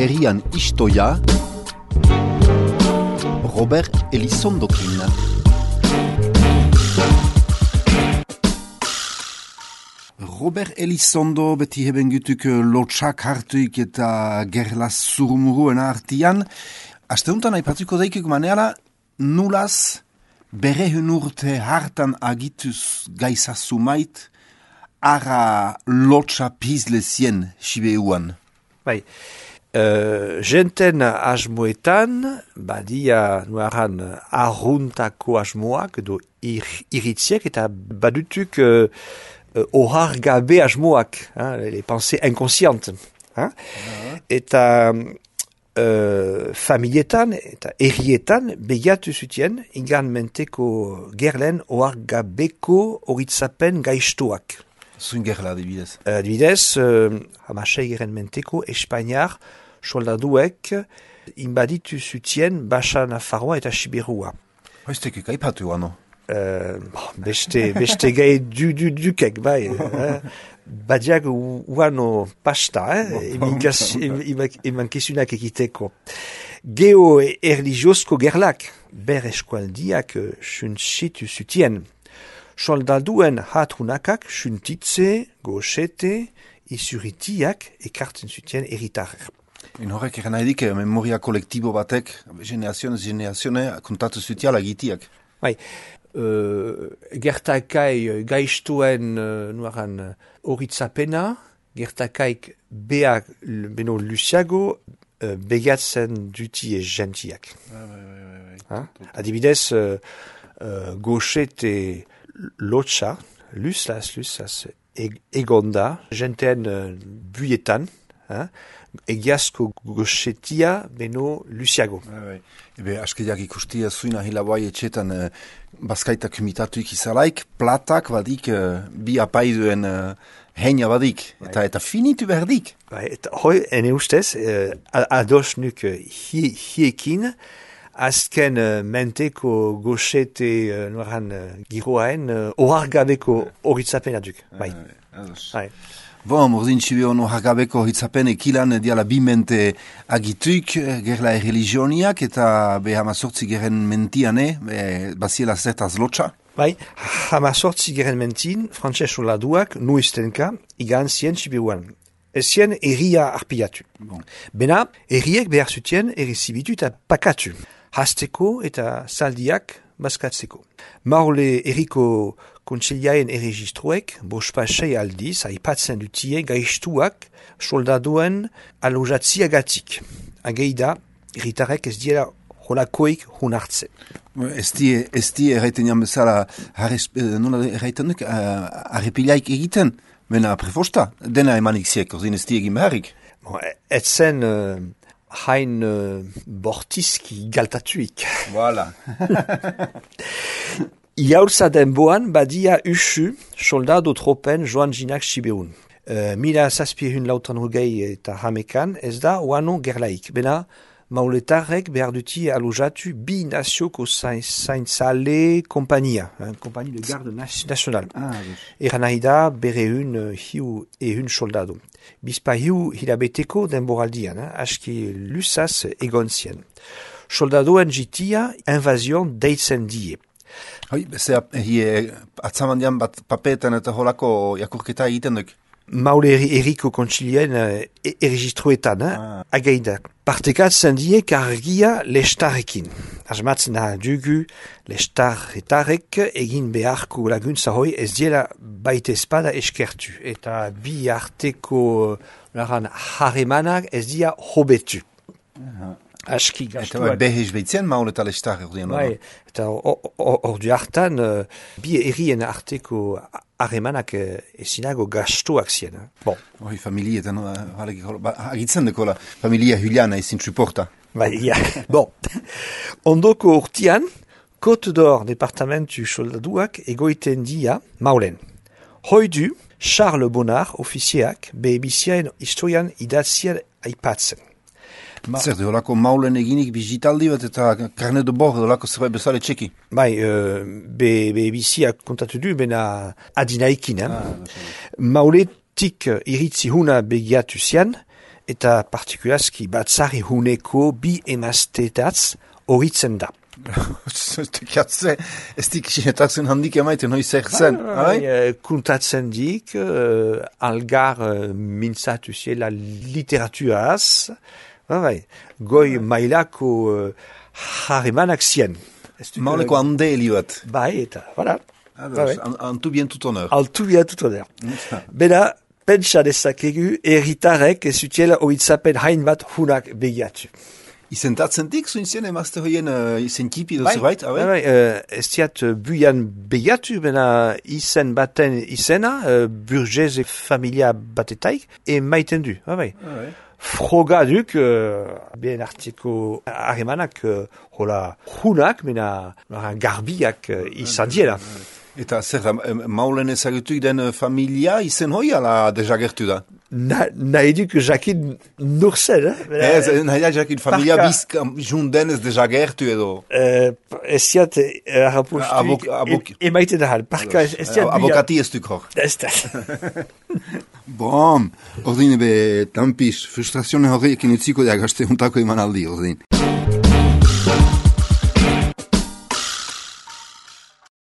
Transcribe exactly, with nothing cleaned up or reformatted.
herrian istoia, Robert Elizondokin. Robert Elizondo beti heben gutuk lotxak hartuik eta gerlaz zurumuruen artian. Asteuntan aipatuko daikik maneala, nulaz berehun urte hartan agituz gaizazumait, ara lotxa pizlezien sibeuan. Bai, uh, jenten asmoetan, badia nuaran arruntako asmoak edo ir, iritziek eta badutuk uh, uh, ohar gabe asmoak, hein, les pensées inconscientes. Hein? Uh-huh. Eta uh, familietan eta herrietan begatu zutien ingan menteko gerlen ohar gabeko horitzapen gaiztuak. Zuin gerla, adibidez. Uh, adibidez, uh, hamasei geren menteko Espainiar soldaduek inbaditu zutien Baxa Nafarroa eta Sibirua. Hoiztek ikaipatu ano? Uh, beste, beste gai du, du, dukek, bai. eh? Badiak uano pasta, eh? emankizunak ekiteko. Geo erligiozko gerlak, ber eskualdiak suntsitu zutien. Soldaduen hatrunakak suntitze, goxete, isuritiak ekartzen zutien eritarrer. In horrek eran nahi dik, memoria kolektibo batek, generazionez generazione, kontatu zutiala gitiak. Bai, uh, gertakai gaiztuen uh, nuaran horitzapena, gertakaik beak beno luziago, uh, begatzen duti e gentiak. Bai, bai, bai, bai. Adibidez, uh, uh, goxete lotxa, luslas, luslas, egonda, jenteen uh, buietan, hein, egiazko goxetia beno luziago. Bai, ebe, askediak ikustia zuina hilabai etxetan uh, bazkaitak imitatuik izalaik, platak badik uh, bi apaiduen uh, heina badik, eta, eta finitu berdik. Bai, eta hoi, ene ustez, uh, ados nuk uh, hi, hiekin, azken uh, menteko goxete uh, noran uh, giroaen uh, ohargabeko horitzapena duk. Bai. Bai. Bon, mordin txibe ono hargabeko horitzapene kilan diala bimente agituik gerla religioniak eta be hamazortzi geren mentiane, be, baziela zertaz lotxa. Bai, hamazortzi geren mentin, frantses soldaduak nuiztenka igan zien txibeuan. Ezien erria arpiatu. Bon. Bena, erriek behar zutien errezibitu eta pakatu. Hasteko eta zaldiak bazkatzeko. Maule erriko kontseilaen erregistroek bospasei aldiz aipatzen dutie gaiztuak soldaduen alojatziagatik. Ageida, erritarek ez diela holakoik hun hartzen. Ez die, ez die erraiten bezala, nola erraiten duk, arrepilaik egiten, bena prefosta, dena emanik ziek, ozin ez die egin beharrik. Bon, etzen uh, hain uh, bortizki galtatuik. Voilà. Iaurza denboan badia usu soldado tropen joan jinak sibeun. Uh, mila zazpiehun lautan hogei eta hamekan ez da oano gerlaik. Bena mauletarrek behar duti alojatu bi nazioko zaintzale kompania. Kompani de garde nacional. Ah, Eran nahi da berehun uh, hiu ehun soldado. Bizpa hiu hilabeteko denboraldian, eh? Aski lusaz egon zien. Soldadoen jitia invazion deitzen die. Hoi, beze, hie, atzamandian bat papetan eta holako jakurketa egiten duk? Maule erriko kontsilien uh, erregistroetan, eh? Ah. Ageida. Partekatzen die kargia lestarrekin. Asmatzen da dugu lestarretarek egin beharko laguntza hoi ez diela baita espada eskertu. Eta bi arteko laran haremanak ez dia hobetu. Aha. Aski gastuak. Eta behez behitzen maule eta lestarre ordien. Bai, eta ordu hartan uh, bi errien arteko haremanak uh, ezinago gastuak zien. Eh? Bon. Hoi, familietan, agitzen dekola, familia Juliana ezin suporta. Bai, ja, bon. Ondoko urtian, Côte d'Or departamentu soldaduak egoiten dia maulen. Hoi du, Charles Bonnard, ofizieak, behebiziaen historian idatzia aipatzen. Ma... Zer, de holako maulen eginik bizitaldi bat eta karne de bord holako zerbait bezale txeki? Bai, uh, be, be biziak kontatu du, bena adinaikin. Eh? Ah, mauletik iritzi huna begiatu zian, eta partikulazki batzari huneko bi emaztetatz horitzen da. Tekatze, ez dik sinetatzen handik emaiten hoi zer zen. Kuntatzen dik, uh, algar uh, mintzatu ziela literaturaz, bai, goi mailako uh, harremanak zien. Mauleko handeli bat. Bai, eta, voilà. En tout bien tout honneur. En tout bien tout honneur. Bera, pentsa dezakegu, erritarek ez utiela horitzapen hain bat hunak begiatu. Izentatzen dik, zuin zien emazte hoien uh, izen kipi dozu bait? Bai, bai, uh, ez diat uh, buian begiatu, bena izen baten izena, uh, burgeze familia batetaik, e maiten du, bai, bai. bai. Froga duk, uh, bien artiko harremanak, uh, hola hunak, mena garbiak uh, izan diela. Eta zer da, maulen ezagutu den familia izen hoi ala dejagertu da? Na, nahi duk jakin nur zen, eh? Ez, nahi da jakin familia bizk junden ez dejagertu edo? Uh, ez ziat, harrapostu, emaiten da hal. Parka, ez ziat buia. Abokati ez duk hor. Ez da. Bom, ordine be, tampis, frustrazione horrekin utziko da gazte untako eman aldi, ordine.